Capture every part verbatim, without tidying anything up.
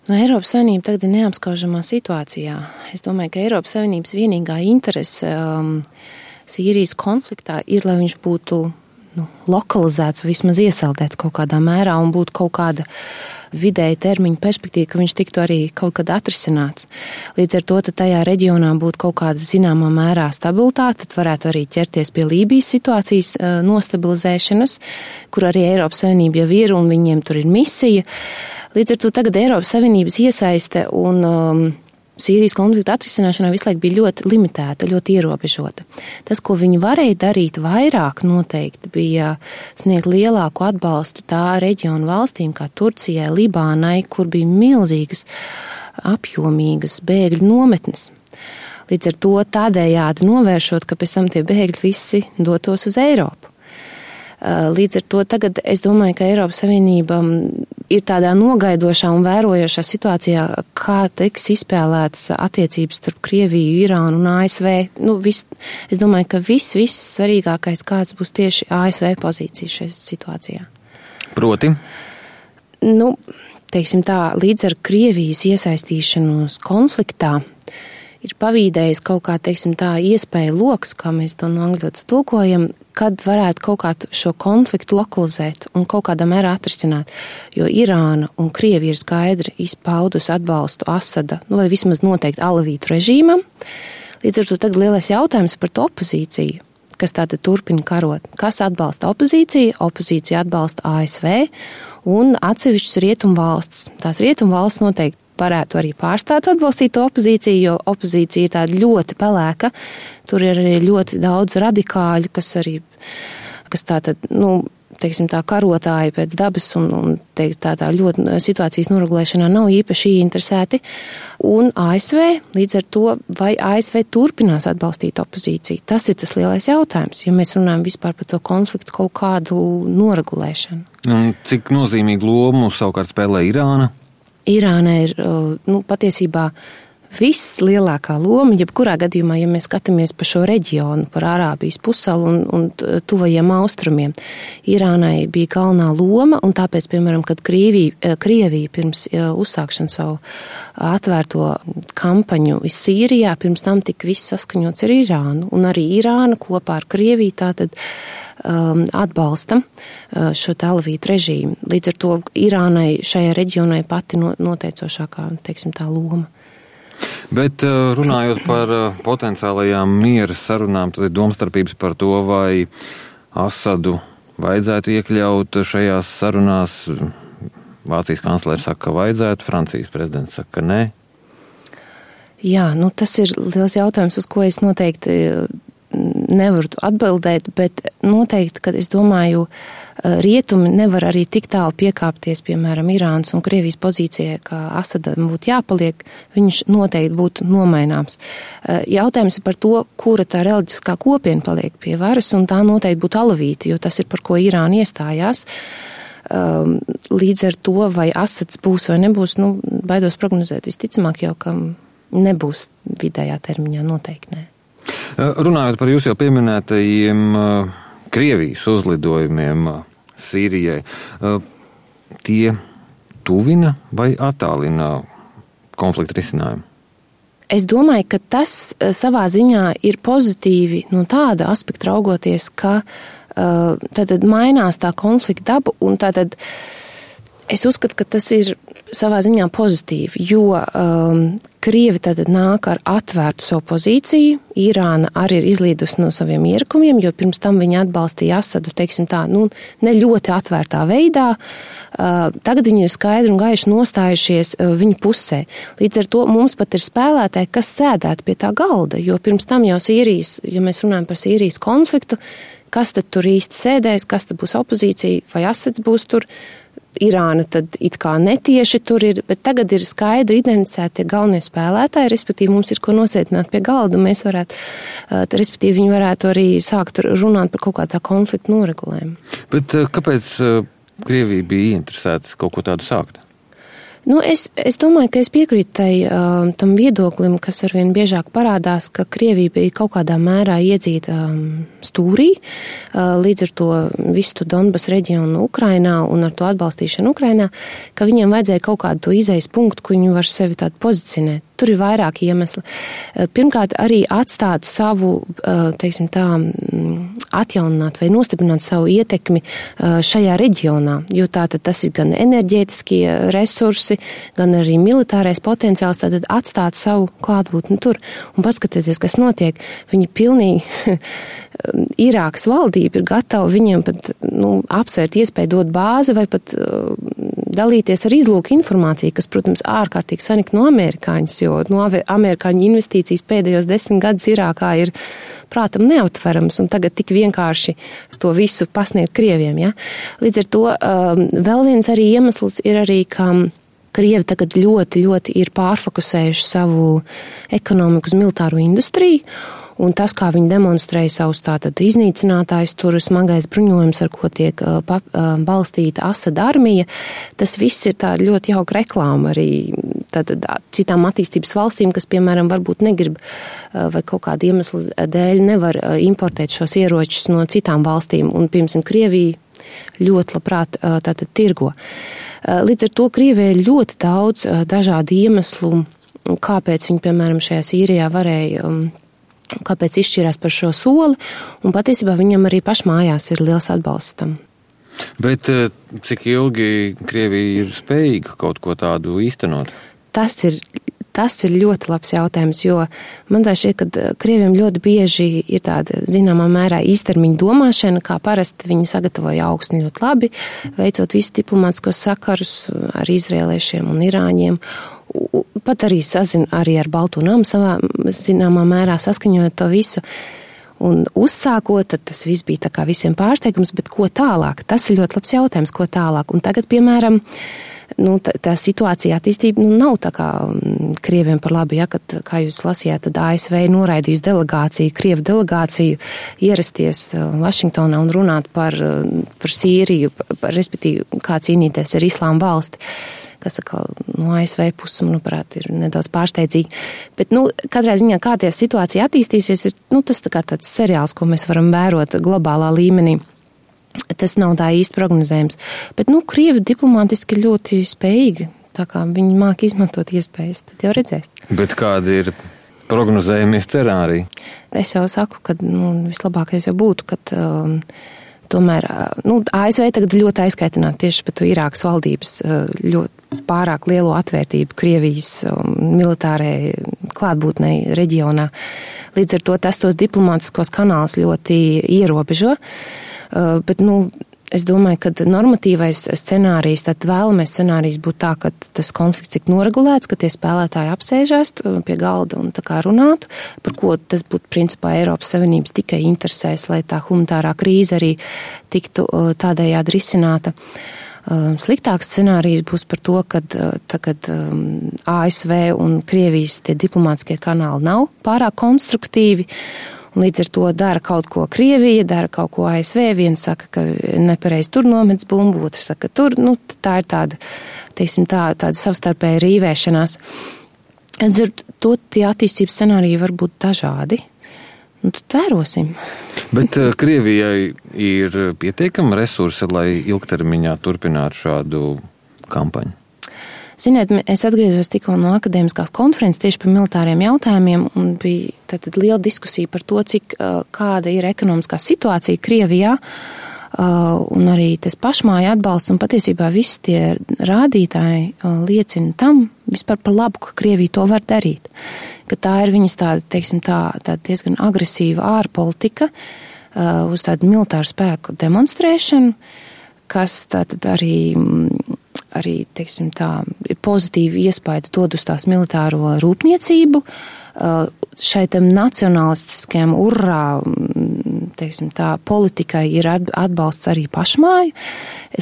No Eiropas Savienība tagad ir neapskaužamā situācijā. Es domāju, ka Eiropas Savienības vienīgā interese um, Sīrijas konfliktā ir, lai viņš būtu nu, lokalizēts, vismaz iesaldēts kaut kādā mērā un būtu kaut kāda vidēja termiņa perspektīva, ka viņš tiktu arī kaut kad atrisināts. Līdz ar to, tad tajā reģionā būtu kaut kāda zināmā mērā stabilitāte, tad varētu arī ķerties pie Lībijas situācijas uh, nostabilizēšanas, kur arī Eiropas Savienība jau ir un viņiem tur ir misija. Līdz ar to tagad Eiropas Savienības iesaiste un um, Sīrijas konflikta atrisināšanā visu laiku bija ļoti limitēta, ļoti ierobežota. Tas, ko viņi varēja darīt vairāk noteikti, bija sniegt lielāku atbalstu tā reģionu valstīm kā Turcijai, Libānai, kur bija milzīgas, apjomīgas bēgļu nometnes. Līdz ar to tādējādi novēršot, ka pēc tam tie bēgļi visi dotos uz Eiropu. Līdz ar to tagad es domāju, ka Eiropas Savienība ir tādā nogaidošā un vērojošā situācijā, kā tiks izspēlētas attiecības starp Krieviju, Irānu un A S V. Nu, vis, es domāju, ka viss, viss svarīgākais kāds būs tieši A S V pozīcija šajā situācijā. Proti? Nu, teiksim tā, līdz ar Krievijas iesaistīšanos konfliktā ir pavīdējis kaut kā, teiksim tā, iespēja loks, kā mēs to no angļotas tulkojam, kad varētu kaut kā šo konfliktu lokalizēt un kaut kādā mērā atrisināt. Jo Irāna un Krievija ir skaidri izpaudus atbalstu Asada, nu vai vismaz noteikti alavītu režīmam. Līdz ar to tagad lielais jautājums par to opozīciju, kas tātad turpina karot. Kas atbalsta opozīciju? Opozīcija atbalsta A S V un atsevišķas rietumvalstis. Tās rietumvalstis noteikti varētu arī pārstāt atbalstīt to opozīciju, jo opozīcija ir tāda ļoti pelēka. Tur ir arī ļoti daudz radikāļu, kas arī, kas tātad, nu, teiksim tā, karotāji pēc dabas un, un teikt, tā, tā ļoti situācijas noregulēšanā nav īpaši interesēti. Un A S V, līdz ar to, vai A S V turpinās atbalstīt opozīciju? Tas ir tas lielais jautājums, ja mēs runājam vispār par to konfliktu kaut kādu noregulēšanu. Un cik nozīmīgu lomu savukārt spēlē Irāna? Irāna ir, nu, patiesībā vislielākā loma, jebkurā gadījumā, ja mēs skatāmies pa šo reģionu, par Arābijas pussalu un, un tuvajiem austrumiem. Irānai bija galvenā loma, un tāpēc, piemēram, kad Krievija, Krievija pirms uzsākšana savu atvērto kampaņu Sīrijā, pirms tam tika viss saskaņots ar Irānu, un arī Irāna kopā ar Krieviju tātad um, atbalsta uh, šo alavītu režīmu. Līdz ar to Irānai šajā reģionai pati no, noteicošākā, teiksim, tā loma. Bet runājot par potenciālajām miera sarunām, tad ir domstarpības par to, vai Asadu vajadzētu iekļaut šajās sarunās. Vācijas kanclere saka, ka vajadzētu, Francijas prezidents saka, ka nē. Jā, nu tas ir liels jautājums, uz ko es noteikti nevaru atbildēt, bet noteikti, kad es domāju, rietumi nevar arī tik tālu piekāpties, piemēram, Irānas un Krievijas pozīcijai, ka Asadam būtu jāpaliek, viņš noteikti būtu nomaināms. Jautājums ir par to, kura tā reliģiskā kopiena paliek pie varas, un tā noteikti būtu alavīti, jo tas ir par ko Irāna iestājās. Līdz ar to, vai Asads būs vai nebūs, nu, baidos prognozēt, visticamāk jau, ka nebūs vidējā termiņā, noteikti nē. Runājot par jūs jau pieminētajiem Krievijas uzlidojumiem Sīrijai, tie tuvina vai attālina konflikta risinājumu? Es domāju, ka tas savā ziņā ir pozitīvi no tāda aspekta raugoties, ka tad mainās tā konflikta daba un tātad es uzskatu, ka tas ir savā ziņā pozitīvi, jo um, Krievi tātad nāk ar atvērtu savu pozīciju, Irāna arī ir izlīdusi no saviem ierakumiem, jo pirms tam viņi atbalstīja Asadu, teiksim tā, nu, ne ļoti atvērtā veidā, uh, tagad viņi ir skaidri un gaiši nostājušies uh, viņa pusē. Līdz ar to mums pat ir spēlētāji, kas sēdētu pie tā galda, jo pirms tam jau Sīrijas, ja mēs runājam par Sīrijas konfliktu, kas tad tur īsti sēdēs, kas tad būs opozīcija, vai Asads būs tur, Irāna tad it kā netieši tur ir, bet tagad ir skaidri identificēti tie galvenie spēlētāji, respektīvi mums ir ko nosēdināt pie galda, un mēs varētu, respektīvi viņi varētu arī sākt runāt par kaut kādā konflikta noregulējumu. Bet kāpēc Krievija bija interesēta kaut ko tādu sākt? Nu, es, es domāju, ka es piekrītu tai, uh, tam viedoklim, kas arvien biežāk parādās, ka Krievija bija kaut kādā mērā iedzīta um, stūrī, uh, līdz ar to visu Donbas reģionu Ukrainā un ar to atbalstīšanu Ukrainā, ka viņiem vajadzēja kaut kādu to izejas punktu, ko viņi var sevi tādu pozicionēt. Tur ir vairāki iemesli. Pirmkārt, arī atstāt savu, teiksim tā, atjaunināt vai nostiprināt savu ietekmi šajā reģionā, jo tātad tas ir gan enerģētiskie resursi, gan arī militārais potenciāls, tātad atstāt savu klātbūtni tur un paskatieties, kas notiek. Viņi pilnīgi, Irākas valdība ir gatava viņiem pat, nu, apsvērt iespēju dot bāzi vai pat dalīties ar izlūku informāciju, kas, protams, ārkārtīgi sanik no amerikāņus, jo no amerikāņu investīcijas pēdējos desmit gadus Irākā ir prātam neaptverams, un tagad tik vienkārši to visu pasniegt Krieviem. Ja? Līdz ar to um, vēl viens arī iemesls ir arī, ka Krievi tagad ļoti, ļoti ir pārfokusējuši savu ekonomiku uz militāro industriju, un tas, kā viņi demonstrēja savus tātad iznīcinātājus, tur smagais bruņojums, ar ko tiek uh, pa, uh, balstīta Asada armija, tas viss ir tāda ļoti jauka reklāma arī tātad citām attīstības valstīm, kas, piemēram, varbūt negrib uh, vai kaut kāda iemesla dēļ nevar uh, importēt šos ieročus no citām valstīm, un, piemēram, Krievija ļoti labprāt uh, tātad tirgo. Uh, līdz ar to Krievijai ir ļoti daudz uh, dažādu iemeslu, kāpēc viņi, piemēram, šajā Sīrijā varēja um, kāpēc izšķirās par šo soli, un patiesībā viņam arī pašmājās ir liels atbalsts tam. Bet cik ilgi Krievija ir spējīga kaut ko tādu īstenot? Tas ir, tas ir ļoti labs jautājums, jo man tā šķiet, ka Krieviem ļoti bieži ir tāda, zināmā mērā, īstermiņa domāšana, kā parasti viņi sagatavoja augstni ļoti labi, veicot visu diplomātiskos sakarus ar izrēliešiem un irāņiem, pat arī sazina arī ar Balto namu savā zināmā mērā saskaņojot to visu. Un uzsākot, tad tas viss bija tā kā visiem pārsteigums, bet ko tālāk? Tas ir ļoti labs jautājums, ko tālāk. Un tagad, piemēram, nu, tā, tā situācija attīstība nu, nav tā kā Krieviem par labi, ja, kad, kā jūs lasījāt, tad A S V noraidījis delegāciju, Krievu delegāciju ierasties Vašingtonā un runāt par, par Sīriju, par, respektīvi, kā cīnīties ar Islāma valsti. Kas atkal no A S V puses, manuprāt, ir nedaudz pārsteidzīgi. Bet, nu, katrā ziņā, kā tie situācija attīstīsies, ir, nu, tas tā kā tāds seriāls, ko mēs varam vērot globālā līmenī. Tas nav tā īsti prognozējums. Bet, nu, Krievi diplomātiski ļoti spējīgi, tā kā viņi māk izmantot iespējas, tad jau redzēs. Bet kādi ir prognozējumie scenāriji? Es jau saku, ka, nu, vislabākais jau būtu, kad um, tomēr, nu, A S V tagad ļoti aizkaitināti tieši par to Irākas valdības ļoti pārāk lielo atvērtību Krievijas militārai klātbūtnei reģionā. Līdz ar to tas tos diplomātiskos kanālus ļoti ierobežo. Bet, nu, es domāju, ka normatīvais scenārijs, tad vēlamais scenārijs būtu tā, ka tas konflikts tik noregulēts, ka tie spēlētāji apsēžās pie galda un tā kā runātu, par ko tas būtu principā Eiropas Savienības tikai interesēs, lai tā humanitārā krīze arī tiktu tādējādi risināta. Sliktāks scenārijs būs par to, ka tagad A S V un Krievijas tie diplomātiskie kanāli nav pārāk konstruktīvi, un līdz ar to dara kaut ko Krievija, dara kaut ko A S V, viens saka, ka nepareiz tur nomets bumbu, otrs saka, tur, nu, tā ir tāda, teiksim, tā, tāda savstarpēja rīvēšanās. Līdz ar to tie attīstības scenāriji var būt dažādi. Nu, tad vērosim. Bet uh, Krievijai ir pietiekami resursi, lai ilgtermiņā turpinātu šādu kampaņu? Ziniet, es atgriezos tikko no akadēmiskās konferences tieši par militāriem jautājumiem, un bija tātad liela diskusija par to, cik uh, kāda ir ekonomiskā situācija Krievijā, uh, un arī tas pašmāja atbalsts, un patiesībā visi tie rādītāji uh, liecina tam vispār par labu, ka Krievija to var darīt. Ka tā ir viņas tāda, teiksim, tā, tā diezgan agresīva ārpolitika uh, uz tādu militāru spēku demonstrēšanu, kas tātad arī, arī teiksim, tā, pozitīvu iespaidu dod uz tās militāro rūpniecību, uh, šai tam nacionalistiskajam urrā, teiksim, tā politikai ir atbalsts arī pašmāju.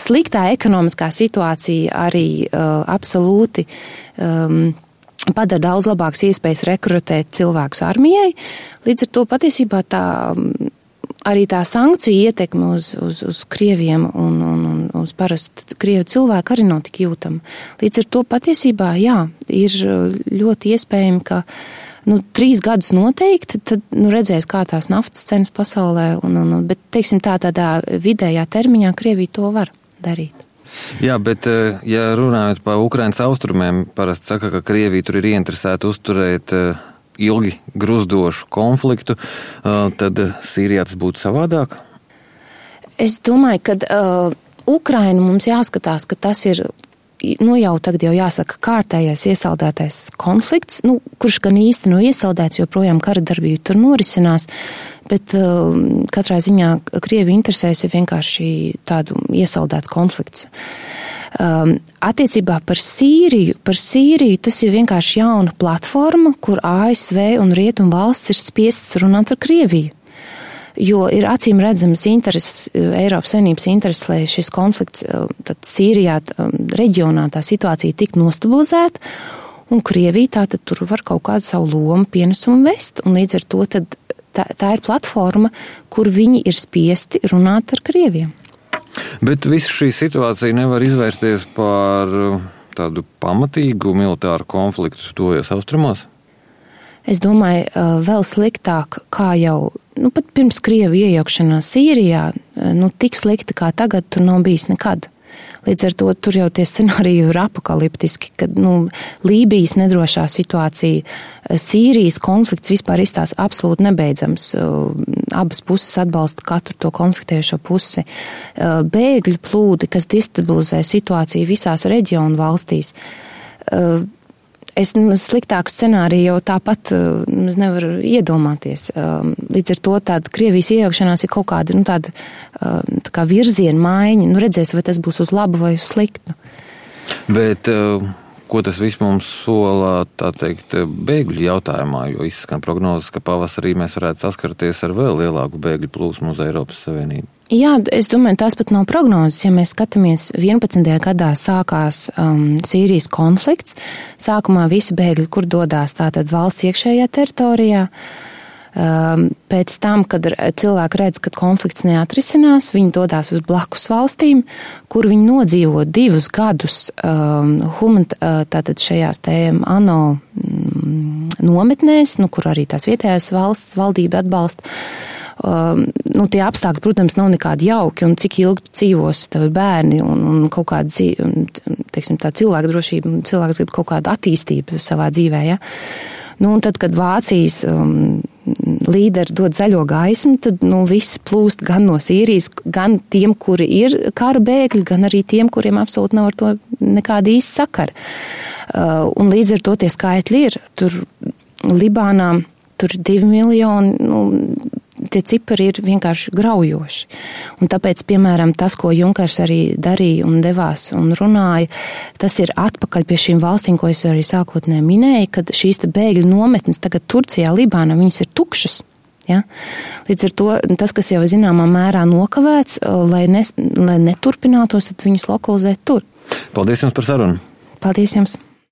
Sliktā ekonomiskā situācija arī uh, absolūti um, padara daudz labākas iespējas rekrutēt cilvēkus armijai. Līdz ar to patiesībā tā arī tā sankciju ietekme uz, uz, uz krieviem un, un, un uz parastu krievu cilvēku arī nav tik jūtama. Līdz ar to patiesībā, jā, ir ļoti iespējami, ka nu, trīs gadus noteikti, tad nu, redzēs, kā tās naftas cenas pasaulē, un, un, bet, teiksim, tā tādā vidējā termiņā Krievija to var darīt. Jā, bet, ja runājot par Ukrainas austrumiem, parasti saka, ka Krievija tur ir ieinteresēta uzturēt ilgi gruzdošu konfliktu, tad Sīrijā tas būtu savādāk? Es domāju, ka uh, Ukraina mums jāskatās, ka tas ir, nu jau tagad jau jāsaka, kārtējais iesaldētais konflikts, nu, kurš gan īsti nav iesaldēts, jo projām kara darbība tur norisinās, bet uh, katrā ziņā Krievi interesēs ir vienkārši tādu iesaldēts konflikts. Um, attiecībā par Sīriju, par Sīriju tas ir vienkārši jauna platforma, kur A S V un Rietumu valsts ir spiests runāt ar Krieviju. Jo ir acīm redzams intereses, Eiropas Savienības intereses, lai šis konflikts tad Sīrijā reģionā tā situācija tik nostabilizēta, un Krievija tā tad tur var kaut kādu savu lomu pienesumu vest, un līdz ar to tad tā, tā ir platforma, kur viņi ir spiesti runāt ar Krieviem. Bet visa šī situācija nevar izvērsties par tādu pamatīgu militāru konfliktu tojos austrumos? Es domāju, vēl sliktāk, kā jau, nu pat pirms Krievu iejaukšanās Sīrijā, nu tik slikti kā tagad tur nav bijis nekad. Līdz ar to tur jau tie scenāriji ir apokaliptiski, kad nu, Lībijas nedrošā situācija, Sīrijas konflikts vispār izstās absolūti nebeidzams. Abas puses atbalsta katru to konfliktējušo pusi. Bēgļu plūdi, kas destabilizē situāciju visās reģionu valstīs. Es sliktāku scenāriju jau tāpat nevaru iedomāties. Līdz ar to tāda Krievijas iejaukšanās ir kaut kāda, nu, tāda tā kā virziena maiņa. Nu, redzēs, vai tas būs uz labu vai uz sliktu. Bet ko tas viss mums sola, tā teikt, bēgļu jautājumā, jo izskan prognozes, ka pavasarī mēs varētu saskarties ar vēl lielāku bēgļu plūsmu uz Eiropas Savienību? Jā, es domāju, tās pat nav prognozes. Ja mēs skatāmies, vienpadsmitajā gadā sākās um, Sīrijas konflikts. Sākumā visi bēgļi, kur dodās tātad valsts iekšējā teritorijā. Um, pēc tam, kad cilvēki redz, ka konflikts neatrisinās, viņi dodās uz blakus valstīm, kur viņi nodzīvo divus gadus um, humant, tātad šajās te ANO mm, nometnēs, nu, kur arī tās vietējās valsts valdība atbalsta. Um, nu, tie apstākļi, protams, nav nekādi jauki, un cik ilgi dzīvos tavi bērni un, un kaut kāda dzīve, teiksim, tā cilvēka drošība, un cilvēks grib kaut kādu attīstību savā dzīvē, ja. Nu, un tad, kad Vācijas um, līderi dod zaļo gaismu, tad, nu, viss plūst gan no Sīrijas, gan tiem, kuri ir kara bēgļi, gan arī tiem, kuriem absolūti nav ar to nekāda īsta sakara. Uh, un līdz ar to tie skaitļi ir. Tur Libānā, tur divi miljoni, nu, tie cipari ir vienkārši graujoši. Un tāpēc, piemēram, tas, ko Junkers arī darīja un devās un runāja, tas ir atpakaļ pie šīm valstīm, ko es arī sākotnēji minēju, kad šīs te bēgļu nometnes tagad Turcijā, Libānā, viņas ir tukšas. Ja? Līdz ar to tas, kas jau zināmā mērā nokavēts, lai, ne, lai neturpinātos, tad viņus lokalizēt tur. Paldies jums par sarunu. Paldies jums.